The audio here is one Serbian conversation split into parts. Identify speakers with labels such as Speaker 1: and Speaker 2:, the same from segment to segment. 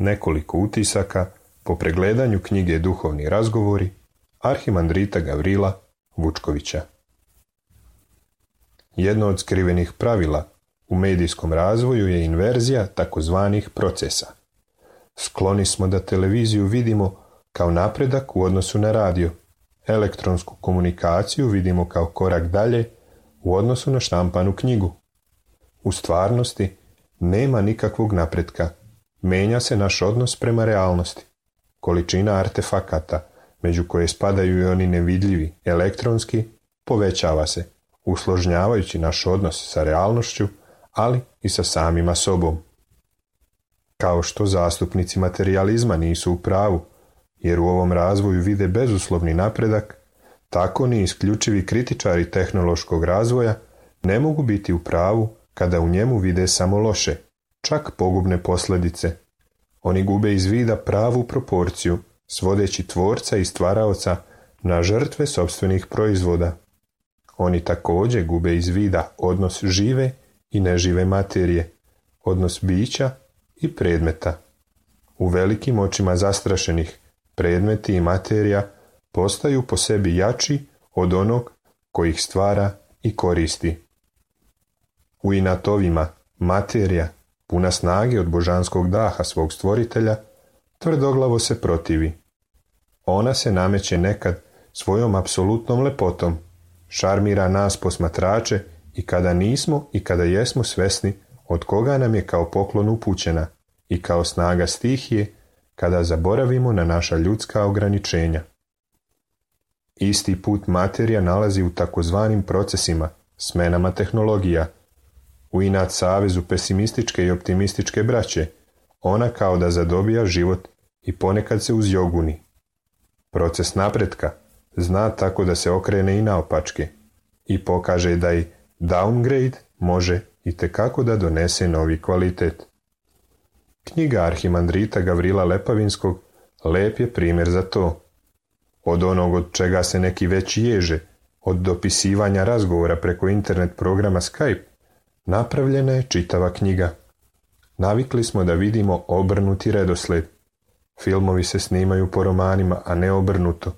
Speaker 1: Nekoliko utisaka po pregledanju knjige Duhovni razgovori arhimandrita Gavrila Vučkovića. Jedno od skrivenih pravila u medijskom razvoju je inverzija takozvanih procesa. Skloni smo da televiziju vidimo kao napredak u odnosu na radio, elektronsku komunikaciju vidimo kao korak dalje u odnosu na štampanu knjigu. U stvarnosti nema nikakvog napretka. Menja se naš odnos prema realnosti. Količina artefakata, među koje spadaju i oni nevidljivi, elektronski, povećava se, usložnjavajući naš odnos sa realnošću, ali i sa samima sobom. Kao što zastupnici materijalizma nisu u pravu, jer u ovom razvoju vide bezuslovni napredak, tako ni isključivi kritičari tehnološkog razvoja ne mogu biti u pravu kada u njemu vide samo loše, čak pogubne posljedice. Oni gube iz vida pravu proporciju, svodeći tvorca i stvaraoca na žrtve sopstvenih proizvoda. Oni također gube iz vida odnos žive i nežive materije, odnos bića i predmeta. U velikim očima zastrašenih predmeti i materija postaju po sebi jači od onog koji ih stvara i koristi. U inatovima materija, puna snage od božanskog daha svog stvoritelja, tvrdoglavo se protivi. Ona se nameće nekad svojom apsolutnom lepotom, šarmira nas posmatrače i kada nismo i kada jesmo svesni od koga nam je kao poklon upućena i kao snaga stihije kada zaboravimo na naša ljudska ograničenja. Isti put materija nalazi u takozvanim procesima, smenama tehnologija. U inat savezu pesimističke i optimističke braće, ona kao da zadobija život i ponekad se uzjoguni. Proces napretka zna tako da se okrene i naopačke i pokaže da i downgrade može itekako da donese novi kvalitet. Knjiga arhimandrita Gavrila Lepavinskog lep je primjer za to. Od onog od čega se neki već ježe, od dopisivanja razgovora preko internet programa Skype, napravljena je čitava knjiga. Navikli smo da vidimo obrnuti redosled. Filmovi se snimaju po romanima, a ne obrnuto.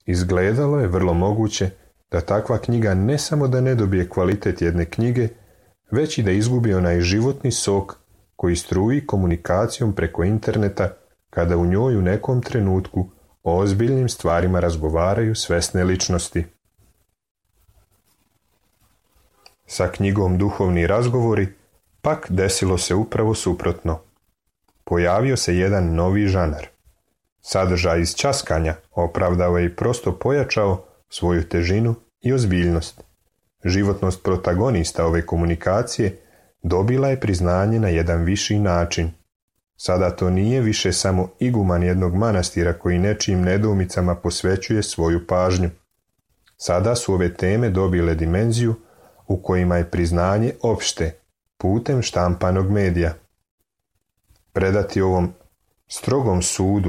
Speaker 1: Izgledalo je vrlo moguće da takva knjiga ne samo da ne dobije kvalitet jedne knjige, već i da izgubi onaj životni sok koji struji komunikacijom preko interneta kada u njoj u nekom trenutku o ozbiljnim stvarima razgovaraju svesne ličnosti. Sa knjigom Duhovni razgovori pak desilo se upravo suprotno. Pojavio se jedan novi žanar. Sadržaj iz ćaskanja opravdao je i prosto pojačao svoju težinu i ozbiljnost. Životnost protagonista ove komunikacije dobila je priznanje na jedan viši način. Sada to nije više samo iguman jednog manastira koji nečijim nedoumicama posvećuje svoju pažnju. Sada su ove teme dobile dimenziju u kojima je priznanje opšte, putem štampanog medija. Predati ovom strogom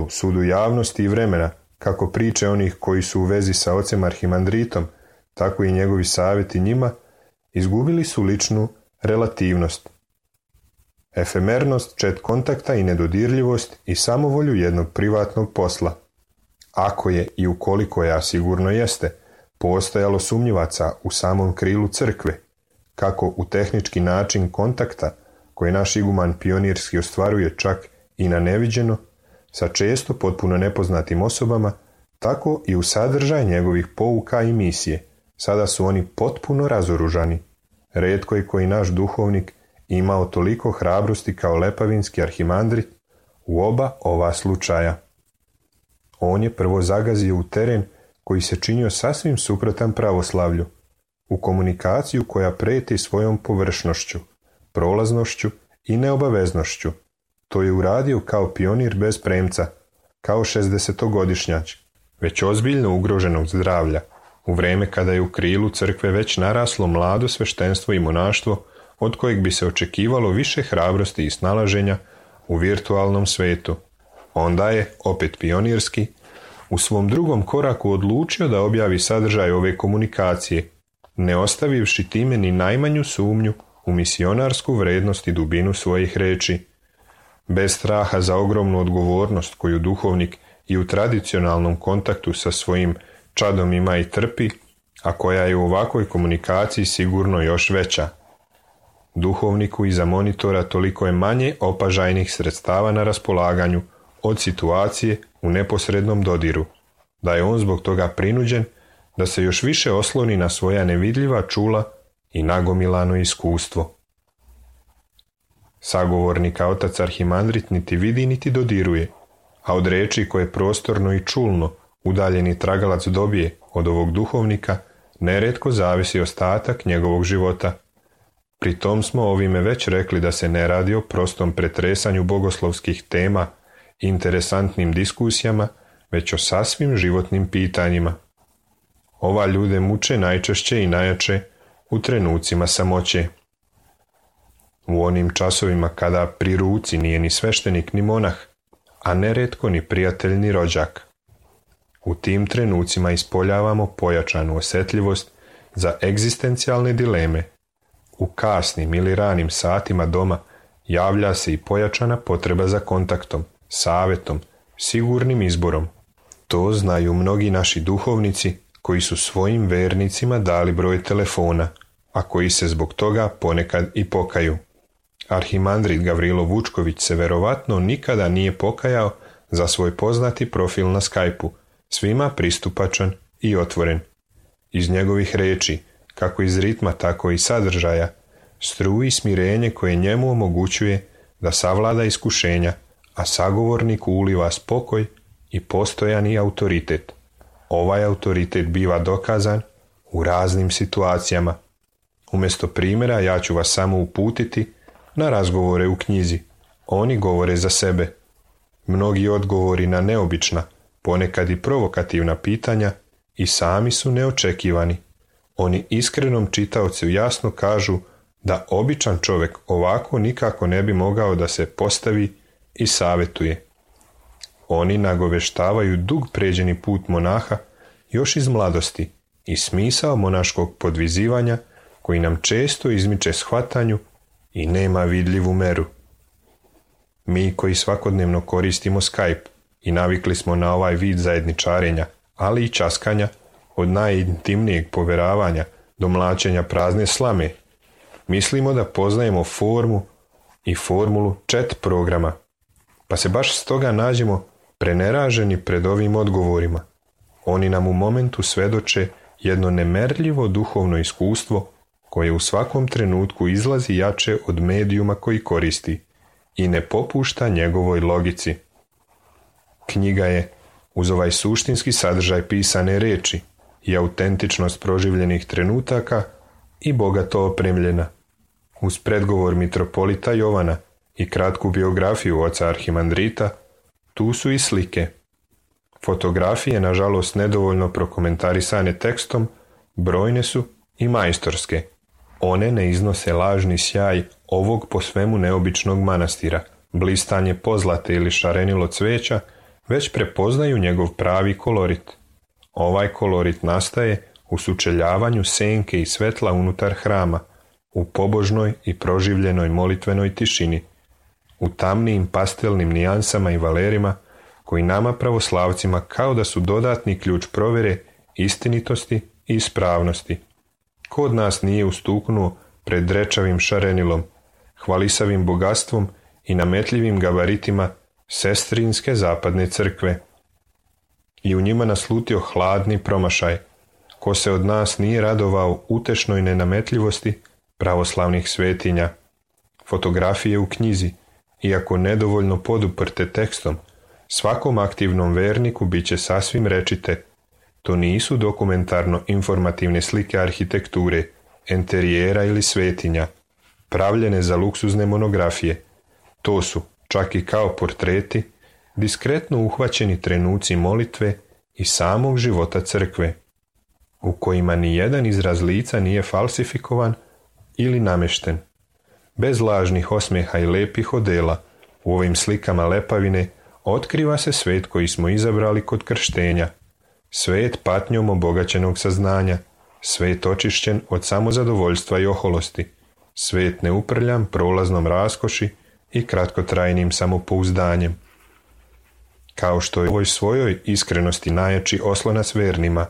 Speaker 1: sudu javnosti i vremena, kako priče onih koji su u vezi sa ocem arhimandritom, tako i njegovi savjeti njima, izgubili su ličnu relativnost, efemernost čet kontakta i nedodirljivost i samovolju jednog privatnog posla. Ako je i ukoliko je, a sigurno jeste, postojalo sumnjivaca u samom krilu crkve, kako u tehnički način kontakta koji naš iguman pionirski ostvaruje čak i na neviđeno, sa često potpuno nepoznatim osobama, tako i u sadržaj njegovih pouka i misije. Sada su oni potpuno razoružani. Retko je koji naš duhovnik imao toliko hrabrosti kao Lepavinski arhimandrit u oba ova slučaja. On je prvo zagazio u teren koji se činio sasvim suprotan pravoslavlju, u komunikaciju koja preti svojom površnošću, prolaznošću i neobaveznošću. To je uradio kao pionir bez premca, kao 60-godišnjać, već ozbiljno ugroženog zdravlja, u vrijeme kada je u krilu crkve već naraslo mlado sveštenstvo i monaštvo, od kojeg bi se očekivalo više hrabrosti i snalaženja u virtualnom svetu. Onda je, opet pionirski, u svom drugom koraku odlučio da objavi sadržaj ove komunikacije, ne ostavivši time ni najmanju sumnju u misionarsku vrednost i dubinu svojih reči. Bez straha za ogromnu odgovornost koju duhovnik i u tradicionalnom kontaktu sa svojim čadom ima i trpi, a koja je u ovakvoj komunikaciji sigurno još veća. Duhovniku iza monitora toliko je manje opažajnih sredstava na raspolaganju od situacije u neposrednom dodiru, da je on zbog toga prinuđen da se još više osloni na svoja nevidljiva čula i nagomilano iskustvo. Sagovornika otac arhimandrit niti vidi niti dodiruje, a od reči koje prostorno i čulno udaljeni tragalac dobije od ovog duhovnika nerijetko zavisi ostatak njegovog života. Pri tom smo ovime već rekli da se ne radi o prostom pretresanju bogoslovskih tema, interesantnim diskusijama, već o sasvim životnim pitanjima. Ova ljude muče najčešće i najjače u trenucima samoće. U onim časovima kada pri ruci nije ni sveštenik ni monah, a nerijetko ni prijatelj ni rođak. U tim trenucima ispoljavamo pojačanu osjetljivost za egzistencijalne dileme. U kasnim ili ranim satima doma javlja se i pojačana potreba za kontaktom, savjetom, sigurnim izborom. To znaju mnogi naši duhovnici koji su svojim vernicima dali broj telefona, a koji se zbog toga ponekad i pokaju. Arhimandrit Gavrilo Vučković se verovatno nikada nije pokajao za svoj poznati profil na Skype-u, svima pristupačan i otvoren. Iz njegovih reči, kako iz ritma tako i sadržaja, struji smirenje koje njemu omogućuje da savlada iskušenja, a sagovorniku uliva spokoj i postojani autoritet. Ovaj autoritet biva dokazan u raznim situacijama. Umjesto primjera ja ću vas samo uputiti na razgovore u knjizi. Oni govore za sebe. Mnogi odgovori na neobična, ponekad i provokativna pitanja i sami su neočekivani. Oni iskrenom čitaocu jasno kažu da običan čovjek ovako nikako ne bi mogao da se postavi i savjetuje. Oni nagoveštavaju dug pređeni put monaha još iz mladosti i smisao monaškog podvizivanja koji nam često izmiče shvatanju i nema vidljivu meru. Mi koji svakodnevno koristimo Skype i navikli smo na ovaj vid zajedničarenja, ali i časkanja, od najintimnijeg poveravanja do mlačenja prazne slame, mislimo da poznajemo formu i formulu chat programa, pa se baš stoga nađemo preneraženi pred ovim odgovorima. Oni nam u momentu svedoče jedno nemerljivo duhovno iskustvo koje u svakom trenutku izlazi jače od medijuma koji koristi i ne popušta njegovoj logici. Knjiga je, uz ovaj suštinski sadržaj pisane reči i autentičnost proživljenih trenutaka, i bogato opremljena. Uz predgovor mitropolita Jovana i kratku biografiju oca Arhimandrita, tu su i slike. Fotografije, nažalost nedovoljno prokomentarisane tekstom, brojne su i majstorske. One ne iznose lažni sjaj ovog po svemu neobičnog manastira, blistanje pozlate ili šarenilo cveća, već prepoznaju njegov pravi kolorit. Ovaj kolorit nastaje u sučeljavanju senke i svetla unutar hrama, u pobožnoj i proživljenoj molitvenoj tišini, u tamnijim pastelnim nijansama i valerima koji nama pravoslavcima kao da su dodatni ključ provjere istinitosti i ispravnosti. Ko od nas nije ustuknuo pred drečavim šarenilom, hvalisavim bogatstvom i nametljivim gabaritima sestrinske zapadne crkve i u njima naslutio hladni promašaj? Ko se od nas nije radovao utešnoj nenametljivosti pravoslavnih svetinja? Fotografije u knjizi, iako nedovoljno poduprte tekstom, svakom aktivnom verniku bit će sasvim rečite. To nisu dokumentarno-informativne slike arhitekture, enterijera ili svetinja, pravljene za luksuzne monografije. To su, čak i kao portreti, diskretno uhvaćeni trenuci molitve i samog života crkve, u kojima ni jedan izraz lica nije falsifikovan ili namješten. Bez lažnih osmijeha i lepih odela, u ovim slikama lepavine otkriva se svet koji smo izabrali kod krštenja, svet patnjom obogaćenog saznanja, svet očišćen od samozadovoljstva i oholosti, svet neuprljan prolaznom raskoši i kratkotrajnim samopouzdanjem. Kao što je u ovoj svojoj iskrenosti najjači oslonac vernima,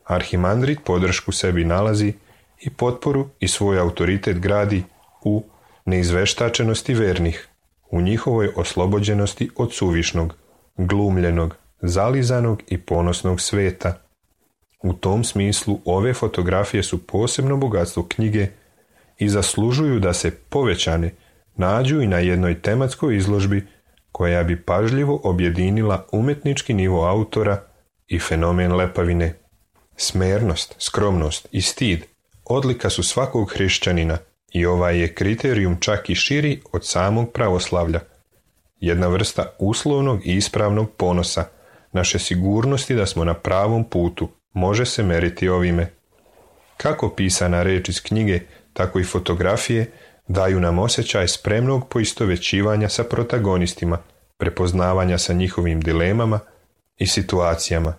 Speaker 1: Arhimandrit podršku sebi nalazi i potporu i svoj autoritet gradi u neizveštačenosti vernih, u njihovoj oslobođenosti od suvišnog, glumljenog, zalizanog i ponosnog sveta. U tom smislu ove fotografije su posebno bogatstvo knjige i zaslužuju da se povećane nađu i na jednoj tematskoj izložbi koja bi pažljivo objedinila umetnički nivo autora i fenomen lepavine. Smernost, skromnost i stid odlika su svakog hrišćanina i ovaj je kriterijum čak i širi od samog pravoslavlja. Jedna vrsta uslovnog i ispravnog ponosa, naše sigurnosti da smo na pravom putu, može se meriti ovime. Kako pisana reč iz knjige, tako i fotografije daju nam osjećaj spremnog poistovećivanja sa protagonistima, prepoznavanja sa njihovim dilemama i situacijama.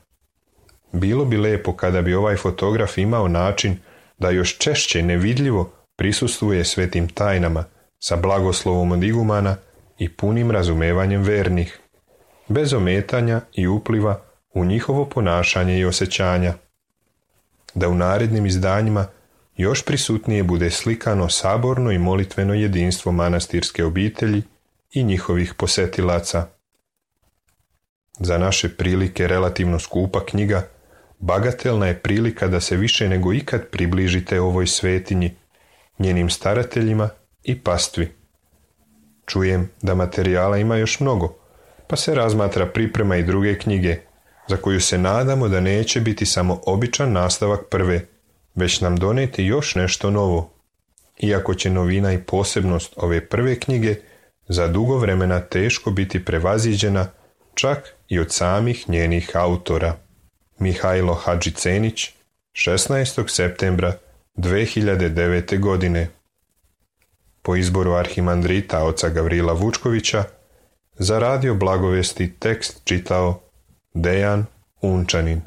Speaker 1: Bilo bi lepo kada bi ovaj fotograf imao način da još češće nevidljivo prisustvuje svetim tajnama sa blagoslovom od igumana i punim razumevanjem vernih, bez ometanja i upliva u njihovo ponašanje i osjećanja. Da u narednim izdanjima još prisutnije bude slikano saborno i molitveno jedinstvo manastirske obitelji i njihovih posetilaca. Za naše prilike relativno skupa knjiga, bagatelna je prilika da se više nego ikad približite ovoj svetinji njenim starateljima i pastvi. Čujem da materijala ima još mnogo, pa se razmatra priprema i druge knjige, za koju se nadamo da neće biti samo običan nastavak prve, već nam doneti još nešto novo. Iako će novina i posebnost ove prve knjige za dugo vremena teško biti prevaziđena čak i od samih njenih autora. Mihajlo Hadžicenić, 16. septembra 2009. godine. Po izboru arhimandrita oca Gavrila Vučkovića, za Radio Blagovesti tekst čitao Dejan Unčanin.